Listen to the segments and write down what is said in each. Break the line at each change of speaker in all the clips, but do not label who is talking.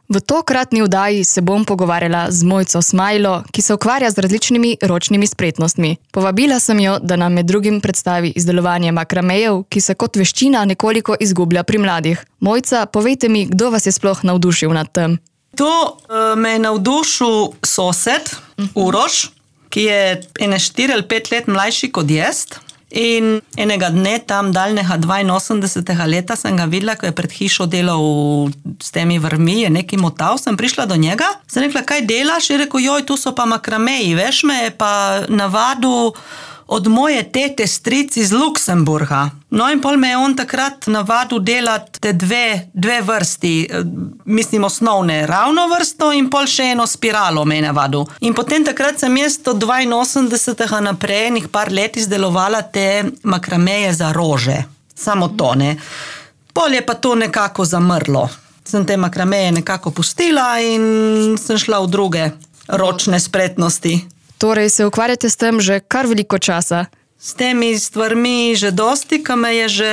V tokratni vdaji se bom pogovarjala z Mojco Smajlo, ki se ukvarja z različnimi ročnimi spretnostmi. Povabila sem jo, da nam med drugim predstavi izdelovanje makramejev, ki se kot veščina nekoliko izgublja pri mladih. Mojca, povejte mi, kdo vas je sploh navdušil nad tem?
To me je navdušil sosed, Uroš, ki je 4 ali 5 let mlajši kot jaz. In enega dne, tam daljnega 82. leta, sem ga videla, ko je pred hišo delal s temi vrvmi, je nekaj motal, sem prišla do njega, sem rekla, kaj delaš? Je rekel, joj, tu so pa makrameji, veš, me je pa navadil od moje tete stric iz Luksemburga. No in pol me je on takrat navadil delati te dve vrsti, mislim osnovne, ravno vrsto in pol še eno spiralo me je navadil. In potem takrat sem jaz od 82. naprej enih par let izdelovala te makrameje za rože. Samo to, ne. Pol je pa to nekako zamrlo. Sem te makrameje nekako pustila in sem šla v druge ročne spretnosti.
Torej se ukvarjate s tem že kar veliko časa?
S temi stvarmi že dosti, ko me je že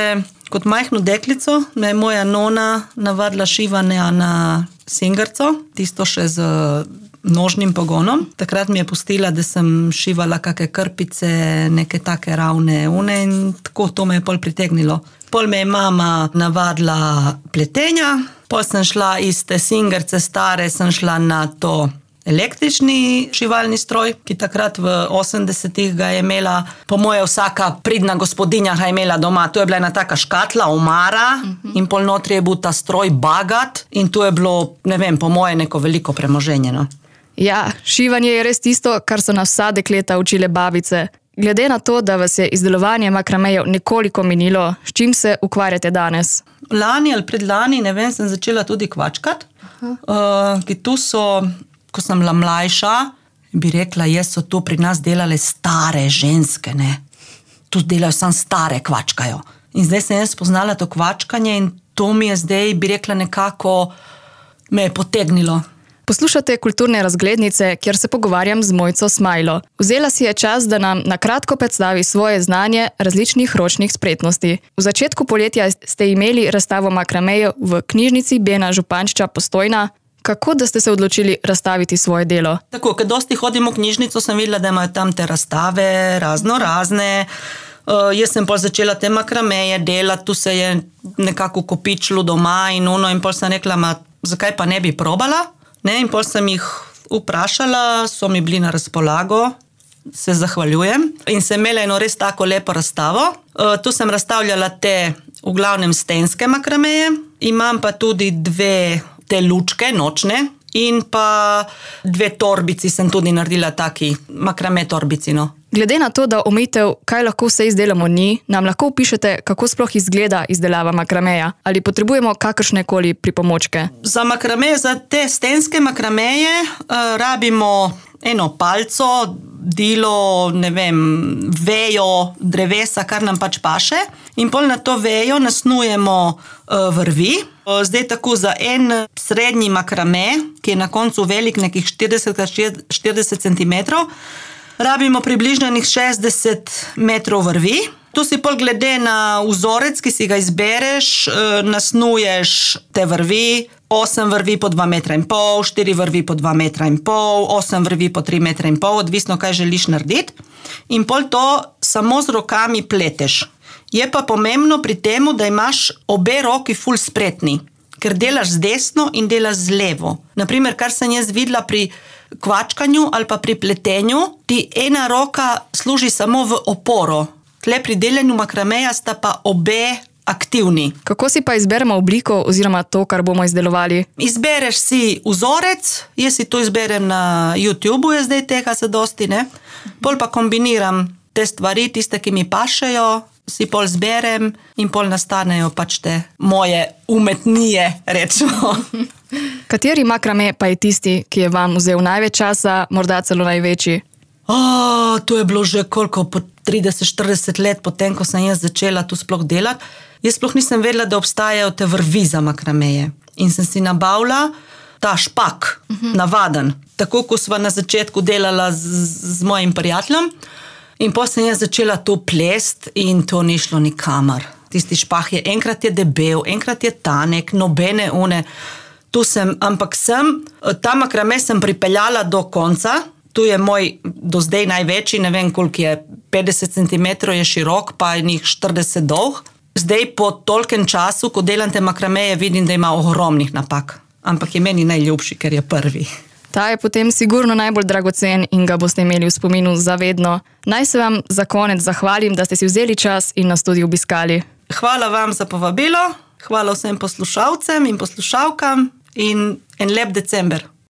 kot majhno deklico, me je moja nona navadila šivanja na singerco, tisto še z nožnim pogonom. Takrat mi je pustila, da sem šivala kakšne krpice, neke take ravne une in tako to me je pol pritegnilo. Pol me je mama navadila pletenja, pol sem šla iz te singerce stare, sem šla na to električni šivalni stroj, ki takrat v 80-ih ga je imela, po moje vsaka pridna gospodinja ga je imela doma. Tu je bila ena taka škatla, omara, in pol notri je bil ta stroj bagat in tu je bilo, ne vem, po moje neko veliko premoženje. No?
Ja, šivanje je res tisto, kar so nas vsa dekleta učile babice. Glede na to, da vas je izdelovanje makramejev nekoliko minilo, s čim se ukvarjate danes?
Lani ali predlani, ne vem, sem začela tudi kvačkat, ki tu so, ko sem bila mlajša, bi rekla, jaz so tu pri nas delale stare ženske, ne. Tu delajo samo stare kvačkajo. In zdaj sem jaz spoznala to kvačkanje in to mi je zdaj, bi rekla, nekako me je potegnilo.
Poslušate Kulturne razglednice, kjer se pogovarjam z Mojco Smajlo. Vzela si je čas, da nam na kratko predstavi svoje znanje različnih ročnih spretnosti. V začetku poletja ste imeli razstavo makramejev v knjižnici Bena Župančiča Postojna. Kako da ste se odločili razstaviti svoje delo?
Tako, kad dosti hodim v knjižnico, sem videla, da imajo tam te razstave, razne. Jaz sem pol začela te makrameje delati, tu se je nekako kopičilo doma in pol sem rekla, zakaj pa ne bi probala? Ne, in pol sem jih vprašala, so mi bili na razpolago, se zahvaljujem. In sem imela eno res tako lepo razstavo. Tu sem razstavljala te v glavnem stenske makrameje, imam pa tudi 2 te lučke, nočne, in pa 2 torbici sem tudi naredila taki, makrame torbici, no.
Glede na to, da omejitev, kaj lahko vse izdelamo ni, nam lahko opišete, kako sploh izgleda izdelava makrameja? Ali potrebujemo kakršnekoli pripomočke?
Za makrameje, za te stenske makrameje rabimo eno palco, dilo, ne vem, vejo, drevesa, kar nam pač paše. In pol na to vejo nasnujemo vrvi. Zdaj tako za en srednji makrame, ki je na koncu velik nekih 40x40 cm, rabimo približno 60 metrov vrvi. Tu si pol glede na vzorec, ki si ga izbereš, nasnuješ te vrvi, 8 vrvi po 2,5 metra, 4 vrvi po 2,5 metra, 8 vrvi po 3,5 metra, odvisno kaj želiš narediti. In pol to samo z rokami pleteš. Je pa pomembno pri temu, da imaš obe roki ful spretni, ker delaš z desno in delaš z levo. Naprimer, kar sem jaz videla pri kvačkanju ali pa pri pletenju, ti ena roka služi samo v oporo. Tle pri delanju makrameja sta pa obe aktivni.
Kako si pa izberemo obliko oziroma to, kar bomo izdelovali?
Izbereš si vzorec, jaz si to izberem na YouTubeu, je zdaj tega se dosti, ne? Pol pa kombiniram te stvari, tiste, ki mi pašejo, si pol zberem in pol nastanejo pač te moje umetnije, rečemo.
Kateri makrame pa je tisti, ki je vam vzel največ časa, morda celo največji?
To je bilo že koliko, po 30-40 let potem, ko sem jaz začela tu sploh delati. Jaz sploh nisem vedela, da obstajajo te vrvi za makrameje. In sem si nabavila ta špak, navaden. Tako, ko sva na začetku delala z mojim prijateljem. In potem sem jaz začela to plest in to ni šlo nikamor. Tisti špah je, enkrat je debel, enkrat je tanek, nobene une. Ta makrame sem pripeljala do konca. Tu je moj do zdaj največji, ne vem koliko je, 50 cm je širok, pa je njih 40 dolg. Zdaj po tolkem času, ko delam te makrameje, vidim, da ima ogromnih napak. Ampak je meni najljubši, ker je prvi.
Ta je potem sigurno najbolj dragocen in ga boste imeli v spominu zavedno. Naj se vam za konec zahvalim, da ste si vzeli čas in nas tudi obiskali.
Hvala vam za povabilo, hvala vsem poslušalcem in poslušalkam in en lep december.